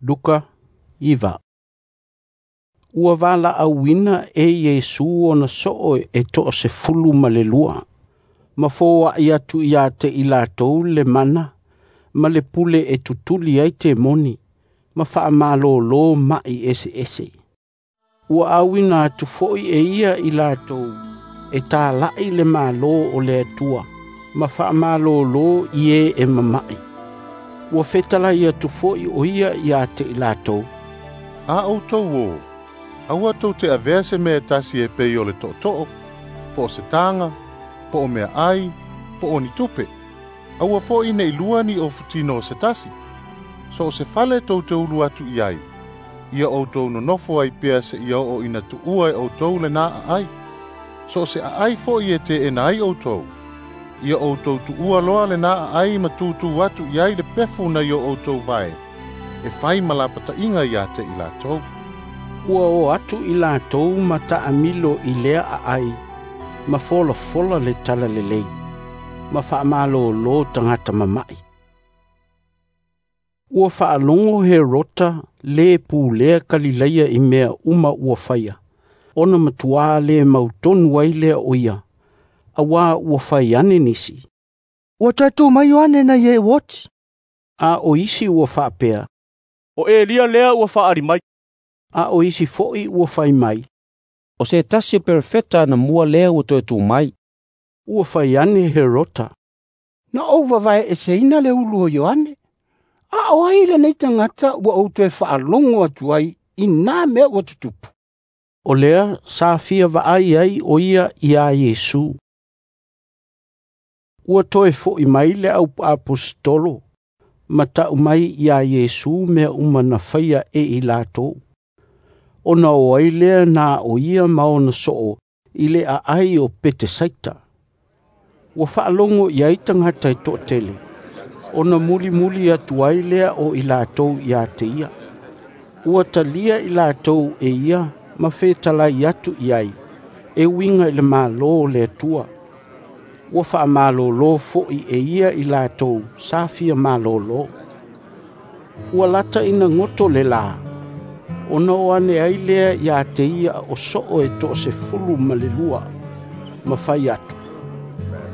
Luka 9. Ua valaauina e Iesu ona soo e 12, ma foai atu ia te i latou le mana ma le pule e tutuli ai temoni, ma faamalōlō ma'i eseese. Ua auina atu foi e ia i latou e tāla'i le Malo o le Atua, ma faamalōlō i e e mama'i. Ua fetalai atu foi o ia ia te i latou. A outou o, aua tou te avea se mea e tasi e pei o le tootoo, po o se taga, po o meaai, po o ni tupe. Aua foi nei lua ni ofutino o se tasi. So o se fale tou te ulu atu i ai, ia outou nonofo ai pea seia oo ina tuua e outou lena aai. So o se aai foi e teena ai outou, ia outou tuua loa lena aai ma tutū atu i ai le pefu nai o outou vae, e fai ma lapataiga ia te i latou. Ua o atu i latou ma taamilo i lea aai, ma folafola le talalelei, ma faamalōlō tagata mama'i. Ua faalogo Herota le pulea Kalilaia i mea uma ua faia, ona matuā le mautonu ai lea o ia, auā ua fai ane nisi. Ua toe tu mai Ioane nai e ua oti. A o isi ua faapea, O Elia lea ua faaali mai. A o isi foi ua fai mai, O se tasi o perofeta anamua lea ua toe tu mai. Ua fai ane Herota, Na ou vavaeeseina le ulu o Ioane. A o ai lenei tagata ua ou toe faalogo atu ai i nā mea ua tutupu. O lea sa fia vaai ai o ia iā Iesu. Ua toe fo'i mai le au aposetolo, ma ta'u mai iā Iesu mea uma na faia e i latou. Ona o ai lea na o ia ma ona soo i le aai o Petesaita. Ua faalogo i ai tagata e toatele, ona mulimuli atu ai lea o i latou ia te ia. Ua talia i latou e ia ma fetalai atu i ai, e uiga i le Malo o le Atua. Ua faamalōlō foi e ia i latou sa fia malōlō. Ua lata ina goto le lā, ona o ane ai lea ia te ia o soo e 12, ma fai atu.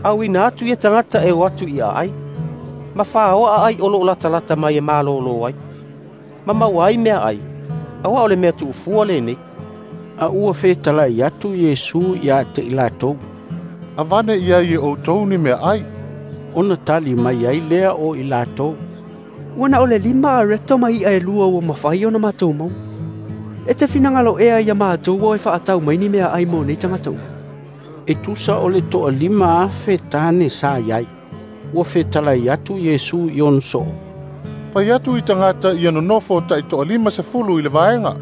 Auina atu ia tagata e o atu i aai, ma whaoa ai o loo latalata mai e malōlō ai. Ma maua ai mea ai, auā o le mea tuufua lenei. A ua fetalai atu Iesu ia te i latou. Avane i ai e outou ni meaai. Ona tali mai ai lea o i latou. Ua na o le 5 areto ma i'a e 2 ua mafai ona matou maua. E te finagalo ea ia matou o e faatau mai ni meaai mo nei tagata uma. E tusa o le 5,000 tane sa iai. Ua fetalai atu Iesu i ona soo. Fai atu i tagata ia nonofo tai 50 i le vaega.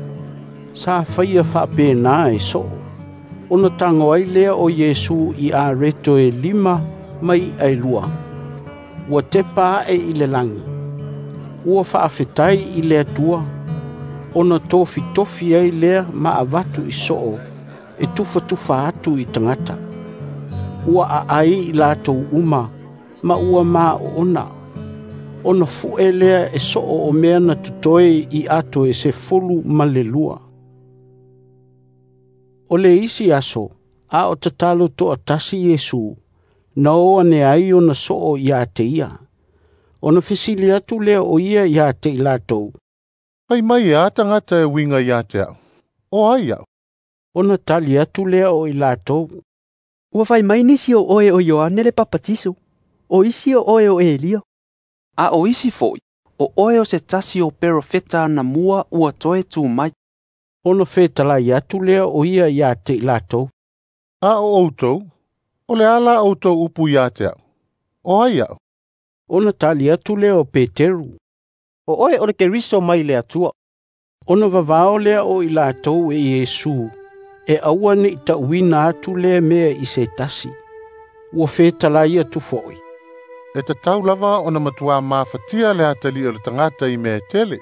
Sa faia faapena e soo. Ona tago ai lea o Iesu i areto e 5 ma i'a e 2. Ua tepa ae i le lagi. Ua faafetai i le Atua, ona tofitofi ai lea ma avatu i soo, e tufatufa atu i tagata. Ua aai i latou uma, ma ua maoona. Ona fu'e lea e soo o mea na totoe i ato e 12. O le isi aso, a o tatalo toatasi Iesu, na o ane ai ona soo ia te ia. Ona fesili atu lea o ia ia te i latou. Fai mai e a tagata e uiga ia te au. O ai au. Ona tali atu lea o i latou. Ua fai mai nisi o oe o Ioane le Papatiso, o isi o oe o Elia. A o isi foi, o oe o se tasi o perofeta anamua ua toe tu mai. Ona fetalai atu lea o ia ia te i latou. A o outou, o le a la outou upu ia te au. O ai au. Ona tali atu lea o Peteru. O oe o le Keriso mai le Atua. Ona vavao lea o i latou e Iesu, e aua nei ta'uina atu lea mea i se tasi. Ua fetalai atu foi. E tatau lava ona matuā mafatia le atalii o le tagata i mea e tele.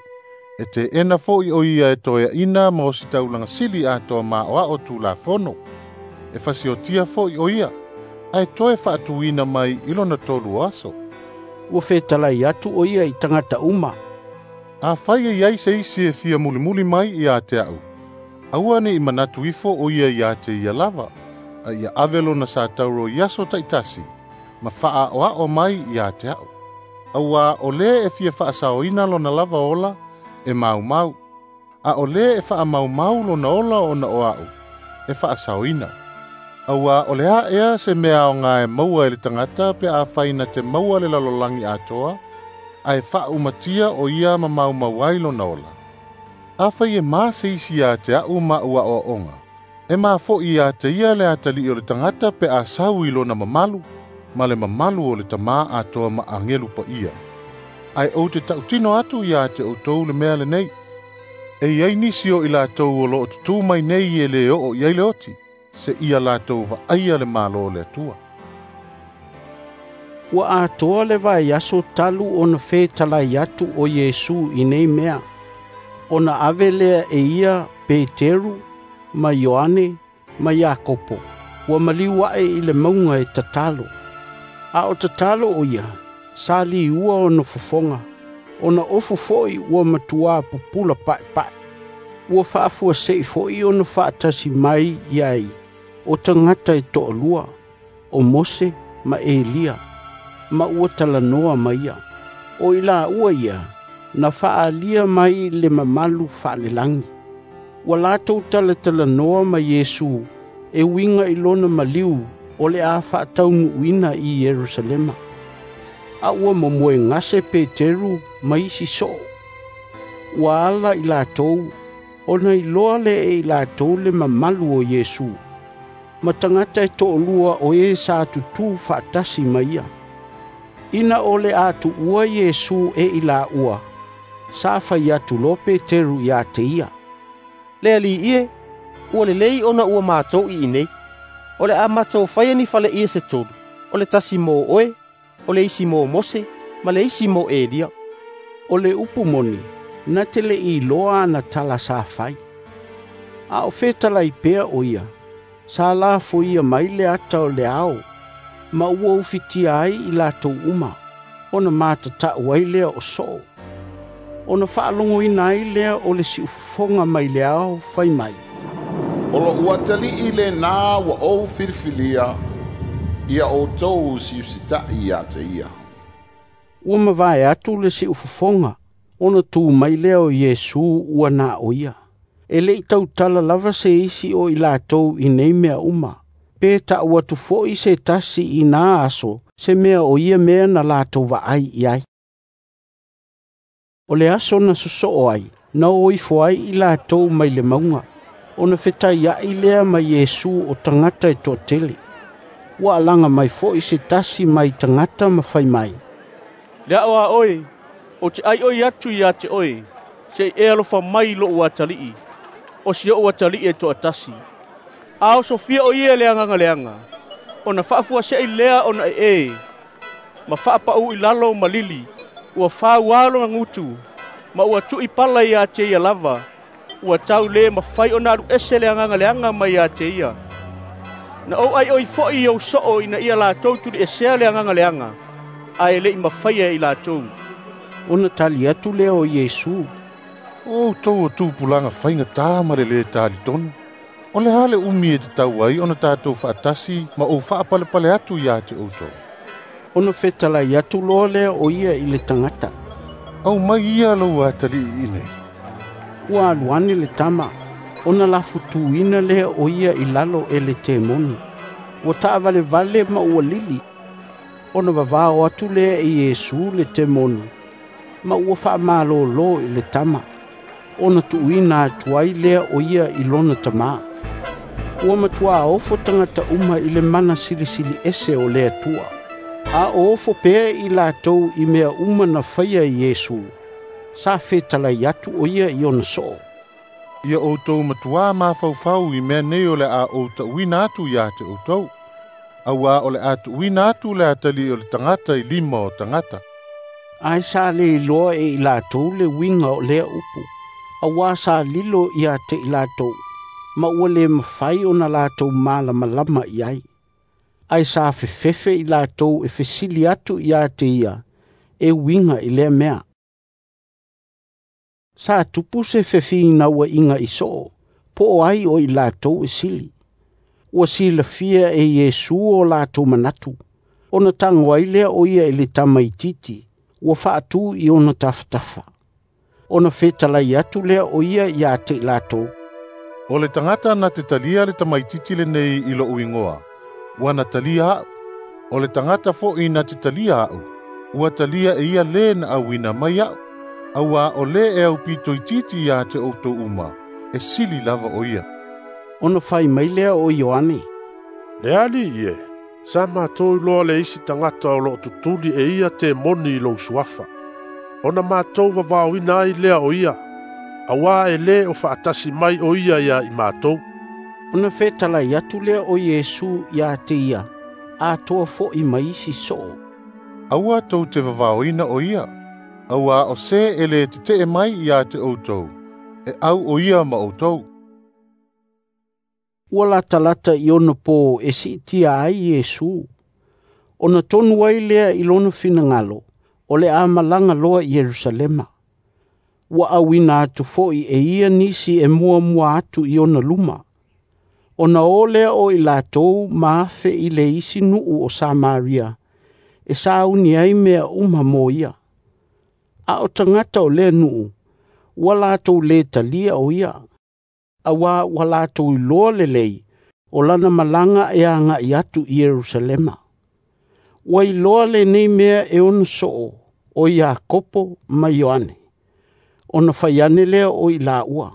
E teena foi o ia e toeaina ma o se taulaga sili atoa maoao Tulafono. E fasiotia foi o ia, ae toe faatuina mai i lona 3 aso. Ua fetalai atu o ia i tagata uma. Afai e iai se isi e fia mulimuli mai ia te a'u, aua ne'i manatu ifo o ia iā te ia lava, a ia ave lona satauro i aso ta'itasi, ma fa'aa'oa'o mai iā te a'u. Auā o lē e fia fa'asaoina lona lava ola, e maumau, a o lē e fa'amaumau lona ola ona o a'u, e fa'asaoina. Auā o le a ea se mea aogā e maua e le tagata pe afai na te maua le lalolagi atoa, ae fa'aumatia o ia ma maumau ai lona ola? Afai e ma se isi iā te a'u ma'u a'oa'oga, e mafo'i iā te ia le atali'i o le tagata pe a sau i lona mamalu, ma le mamalu o le Tamā atoa ma agelu pa'ia. Ae ou te ta'utino atu iā te outou le mea lenei, e iai nisi o i latou o lo'o tutū mai nei e lē o'o i ai le oti, se'ia latou va'aia le Mālō o le Atua. Ua atoa le vaiaso talu ona fetalai atu o Iesu i nei mea, ona ave lea e ia Peteru ma Ioane ma Iakopo, ua maliu a'e i le mauga e tatalo. A o tatalo o ia, sa liua ona fofoga, ona ofu fo'i ua matuā pupula pa'epa'e. Ua fa'afuase'i fo'i ona fa'atasi mai i ai o tagata e to'alua, o Mose ma Elia, ma ua talanoa ma ia. O i laua ia, na fa'aalia mai le mamalu fa'alelagi. Ua latou talatalanoa ma Iesu e uiga i lona maliu o le a fa'ataunu'uina i Ierusalema. A ua momoe gase Peteru ma isi so'o. Ua ala i latou, ona iloa lea e i latou le mamalu o Iesu, ma tagata e to'alua o e sa tutū fa'atasi ma ia. Ina o le a tu'ua Iesu e i laua, sa fai atu loa Peteru iā te ia, Le Ali'i e, ua lelei ona ua matou i inei. O le a matou faia ni faleie se tolu, o le tasi mo oe, o le isi mo Mose, ma le isi mo Elia. O le upu moni, na te le'i iloa ana tala sa fai. A o fetalai pea o ia, sa lafoia mai le ata o le ao, ma ua ufitia ai i latou uma, ona matata'u ai lea o so'o. Ona fa'alogoina ai lea o le si'ufofoga mai le ao fai mai, O lo'u atali'i lenā ua ou filifilia, ia outou usiusita'i iā te ia. Ua mavae atu le si'ufofoga, ona tū mai lea o Iesu ua na o ia. E le'i tautala lava se isi o i latou i nei mea uma, pe ta'u atu fo'i se tasi i nā aso se mea o ia mea na latou va'ai i ai. O le aso na soso'o ai, na o ifo ai i latou mai le mauga, ona fetaia'i lea ma Iesu o tagata e to'atele. Ua alaga mai fo'i se tasi mai tagata ma fai mai, Le a'o a oe, ou te ʻaiʻoi atu iā te oe, se'i e alofa mai i lo'u atali'i, o si o'u atali'i e to'atasi. A osofia o ia e le agaga leaga, ona fa'afuase'i lea ona e'e, ma fa'apa'ū i lalo ma lili, ua fāuā lona gutu, ma ua tu'i pala iā te ia lava, ua tau lē mafai ona alu ese le agaga leaga mai iā te ia. Na ou ʻaiʻoi fo'i i ou so'o ina ia latou tuli'esea le agaga leaga, ae le'i mafaia e i latou. Ona tali atu lea o Iesu, O outou o tupulaga faigatā ma le lē talitonu, o le a le umi e tatau ai ona tatou fa'atasi ma ou fa'apalepale atu iā te outou? Ona fetalai atu loa lea o ia i le tagata, Aumai ia lou atali'i iinei. Ua alu ane le tama, ona lafutūina lea o ia i lalo e le temoni. Ua ta'avalevale ma ua lili. Ona vavao atu lea e Iesu le temoni, ma ua fa'amalōlō i le tama, ona tu'uina atu ai lea o ia i lona tamā. Ua matuā ofo tagata uma i le mana silisili ese o le Atua. A o ofo pea i latou i mea uma na faia e Iesu, sa fetalai atu o ia i ona so'o. Ia outou matuā mafaufau i mea nei o le a ou ta'uina atu iā te outou. Auā o le a tu'uina atu le atali'i o le tagata i lima o tagata. Ae sa lē iloa e i latou le uiga o lea upu, auā sa lilo ia te i latou, ma ua lē mafai ona latou malamalama i ai. Ae sa fefefe i latou e fesili atu iā te ia, e uiga i lea mea. Sa tupu se fefinauaiga i soo, po o ai o i latou e sili. Ua silafia e Iesu o latou manatu, ona tago ai lea o ia i le tamaitiiti, ua faatu i ona tafatafa. Ona fetalai atu lea o ia ia te i latou, O le tagata na te talia le tamaitiiti lenei i lo'u igoa, ua na talia a'u. O le tagata fo'i na te talia a'u, ua talia e ia lē na auina mai a'u. Auā o lē e aupito itiiti iā te outou uma, e sili lava o ia. Ona fai mai lea o Ioane, Le Alii e, sa matou iloa le isi tagata o loo tutuli e ia temoni i lou suafa. Ona matou vavaoina ai lea o ia, auā e lē o faatasi mai o ia ia i matou. Ona fetalai atu lea o Iesu ia te ia, atoa fo'i ma isi soo. Aua tou te vavaoina o ia, auā o se e lē tete'e mai iā te outou, e au o ia ma outou. Ua latalata i ona pō e siitia ai Iesu. Ona tonu ai lea i lona finagalo, o le a malaga loa i Ierusalema. Ua auina atu fo'i e ia nisi e muamua atu i ona luma. Ona o lea o i latou ma afe i le isi nuu o Samaria, e sauni ai mea uma mo ia. A o tagata o lea nuu, ua latou lē talia o ia. Auā ua latou iloa lelei, o lana malaga e aga'i atu i Ierusalema. Ua iloa lenei mea e ona soo, o Iakopo ma Ioane. Ona fai ane lea o i laua,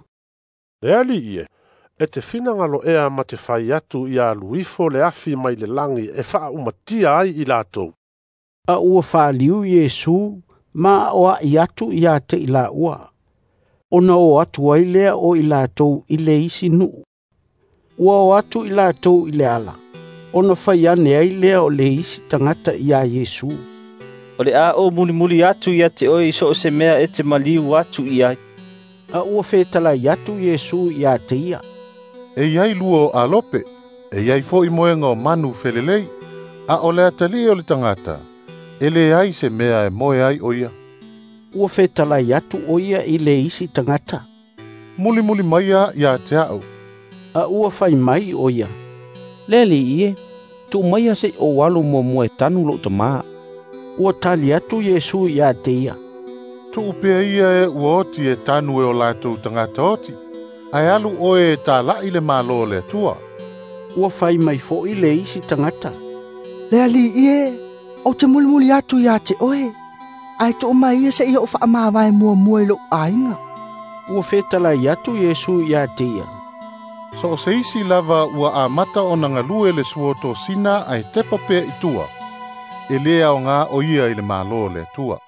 Le Alii e, e te finagalo ea ma te fai atu ia alu ifo le afi mai le lagi e faaumatia ai i latou. A ua faliu Iesu ma aoa'i atu ia te i laua. Ona o atu ai lea o i latou i le isi nuu. Ua o atu i latou i le ala, ona fai ane ai lea o le isi tagata iā Iesu. O le a ou mulimuli atu ia te oe i so o se mea e te maliu atu i ai. A ua fetalai atu Iesu ia te ia, E iai lua o alope, e iai fo'i moega o manu felelei, a o le atalii o le tagata, e leai se mea e moe ai o ia. Ua fetalai atu o ia i le isi tagata, Mulimuli maia ia te a'u. A ua fai mai o ia, Le Alii e, tuu maia se'i ou alu muamua e tanu lo'u tamā. Ua tali atu Iesu ia te ia, Tuu pea ia e ua oti e tanu e o latou tagata oti, ae alu oe e tala'i le Mālō o le Atua. Ua fai mai fo'i le isi tagata, Le Alii e, ou te mulimuli atu ia te oe, ae tuu mai ia seia ou faamavae muamua i lou aiga. Ua fetalai atu Iesu ia te ia, So o se isi lava ua amata ona galue le suotosina ae tepa pea i tua, e lē aogā o ia i le Mālō o le Atua.